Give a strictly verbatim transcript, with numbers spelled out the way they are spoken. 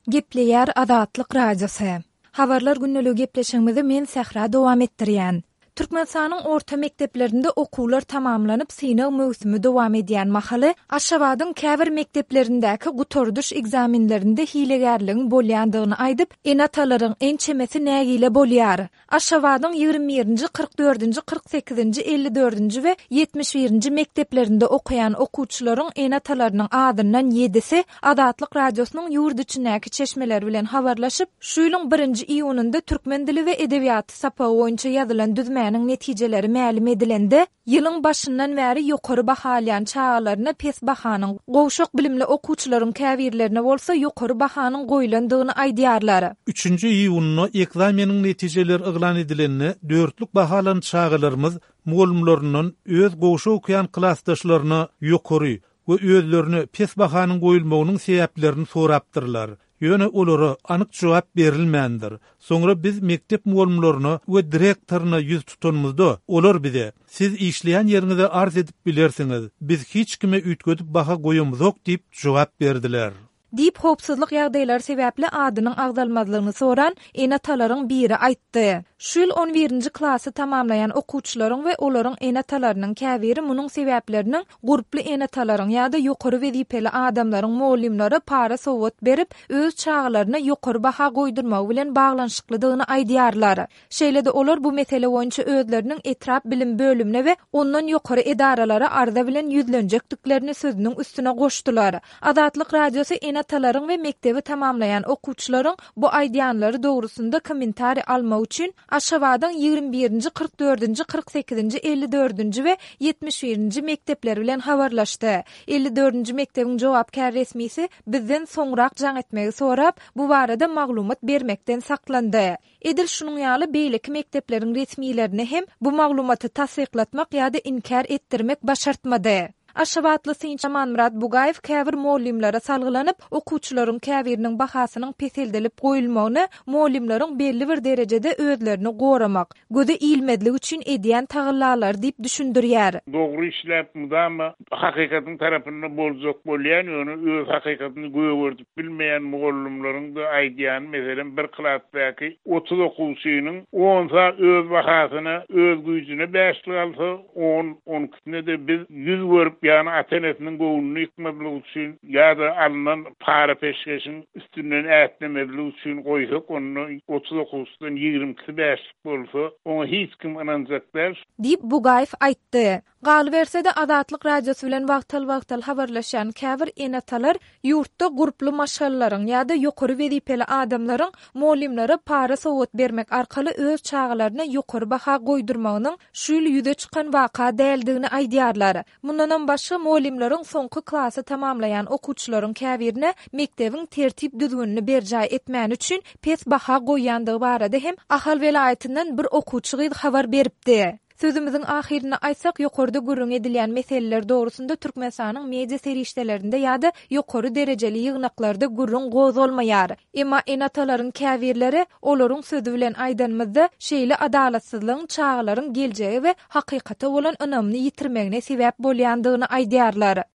Gepleýär Azatlyk Radiosy. Habarlar gündeligi gepleşigimizi men Sähra dowam etdirýän. Türkmenistanyň orta mekdeplerinde okuwlar tamamlanyp, synag möwsümi dowam edýän mahaly, Aşgabadyň käbir mekdeplerindäki gutardyş ekzamenlerinde hilegärligiň bolýandygyny aýdyp, ene-atalaryň ençemesi nägile bolýar. Aşgabadyň ýigrimi birinji, kyrk dördünji, kyrk sekizinji, elli dördünji we ýetmiş birinji mekdeplerinde okaýan okuwçylaryň ene-atalarynyň azyndan ýedisi Azatlyk Radiosynyň ýurt içindäki çeşmeleri bilen habarlaşyp, şu ýylyň birinji iýunynda türkmen dili we edebiýaty sapagy boýunça ýazylan düzmäniň netijeleri mälim edilende, ýylyň başyndan bäri ýokary baha alýan çagalaryna pes bahanyň, gowşak bilimli okuwçylaryň käbirlerine bolsa ýokary bahanyň goýlandygyny aýdýarlar. Üçünji iýunda ekzameniň netijeleri yglan edilende, dörtlük baha alan çagalarymyz mugallymlaryndan öz gowşak okaýan klasdaşlaryna ýokary we özlerine pes bahanyň goýulmagynyň sebäplerini sorapdyrlar. Ýöne olara anyk jogap berilmändir. Soňra biz mekdep mugallymlaryna we direktoryna ýüz tutanymyzda, olar bize, Siz işleýän ýeriňize arz edip bilersiňiz, biz hiç kime üýtgedip baha goýamyzok diýip jogap berdiler. Diýip, howpsuzlyk ýagdaýlary sebäpli adynyň agzalmazlygyny soran ene-atalaryň biri aýtdy. Şu ýyl on birinji klasy tamamlaýan okuwçylaryň we olaryň ene-atalarynyň käbiri munuň sebäpleriniň gurply ene-atalaryň ýa-da ýokary wezipeli adamlaryň mugallymlara para-sowgat berip, öz çagalaryna ýokary baha goýdurmagy bilen baglanyşyklydygyny aýdýarlar. Şeýle-de olar bu mesele boýunça özleriniň etrap bilim bölümine we ondan ýokary edaralara arza bilen ýüzlenjekdiklerini sözüniň üstüne goşdular. Azatlyk Radiosy ene-atalaryň we mekdebi tamamlaýan okuwçylaryň bu aýdýanlary dogrusynda kommentariý almak üçin Aşgabadyň ýigrimi birinji, kyrk dördünji, kyrk sekizinji, elli dördünji we ýetmiş birinji mekdepleri bilen habarlaşdy. Elli dördünji mekdebiň jogapkär resmisi bizden soňrak jaň etmegi sorap, bu barada maglumat bermekden saklandy. Edil şunuň ýaly beýleki mekdepleriň resmilerine hem bu maglumaty tassyklatmak ýa-da inkär etdirmek başartmady. Aşgabatly synçy Amanmyrat Bugaýew käbir mugallymlara salgylanyp, okuwçylaryň käbiriniň bahasynyň peseldilip goýulmagyny mugallymlaryň belli bir derejede özlerini goramak, göze ilmezlik üçin edýän tagallalary diýip düşündirýär. Dogry işläp, mydama hakykatyň tarapynda boljak bolýan, ýöne öz hakykatyny gögerdip bilmeýän mugallymlaryň-da aýdýany, meselem, bir klasdaky otuz okuwçynyň onsa öz bahasyna, öz güýjüne bäşlik alsa, on, on ikisine-de biz ýüz görüp, ýagny ata-enesiniň göwnüni ýykmazlyk üçin ýa-da alnan para-peşgeşiň üstünden ätlemezlik üçin goýsak, onda otuz okuwçydan ýigrimi ikisi bäşlik bolsa, oňa hiç kim ynanjak däl. Diýip, Bugaýew aýtdy. Galyberse-de, Azatlyk Radiosy bilen wagtal-wagtal habarlaşýan käbir ene-atalar ýurtda gurply maşgalalaryň ýa-da ýokary wezipeli adamlaryň mugallymlara para-sowgat bermek arkaly öz çagalaryna ýokary baha goýdurmagynyň şu ýyl ýüze çykan waka däldigini aýdýarlar. Mundanam başga, mugallymlaryň soňky klasy tamamlaýan okuwçylaryň käbirine mekdebiň tertip-düzgünini berjaý etmäni üçin pes baha goýýandygy barada hem Ahal welaýatyndan bir okuwçy gyz habar beripdi. Sözümiziň ahyrynda aýtsak, ýokarda gürrüň edilýän meseleler dogrusynda Türkmenistanyň media serişdelerinde ýa-da ýokary derejeli ýygnaklarda gürrüň gozgalmaýar. Emma ene-atalaryň käbirleri, olaryň sözi bilen aýdanymyzda, şeýle adalatsyzlygyň çagalaryň geljege we hakykata bolan ynamyny ýitirmegine sebäp bolýandygyny aýdýarlar.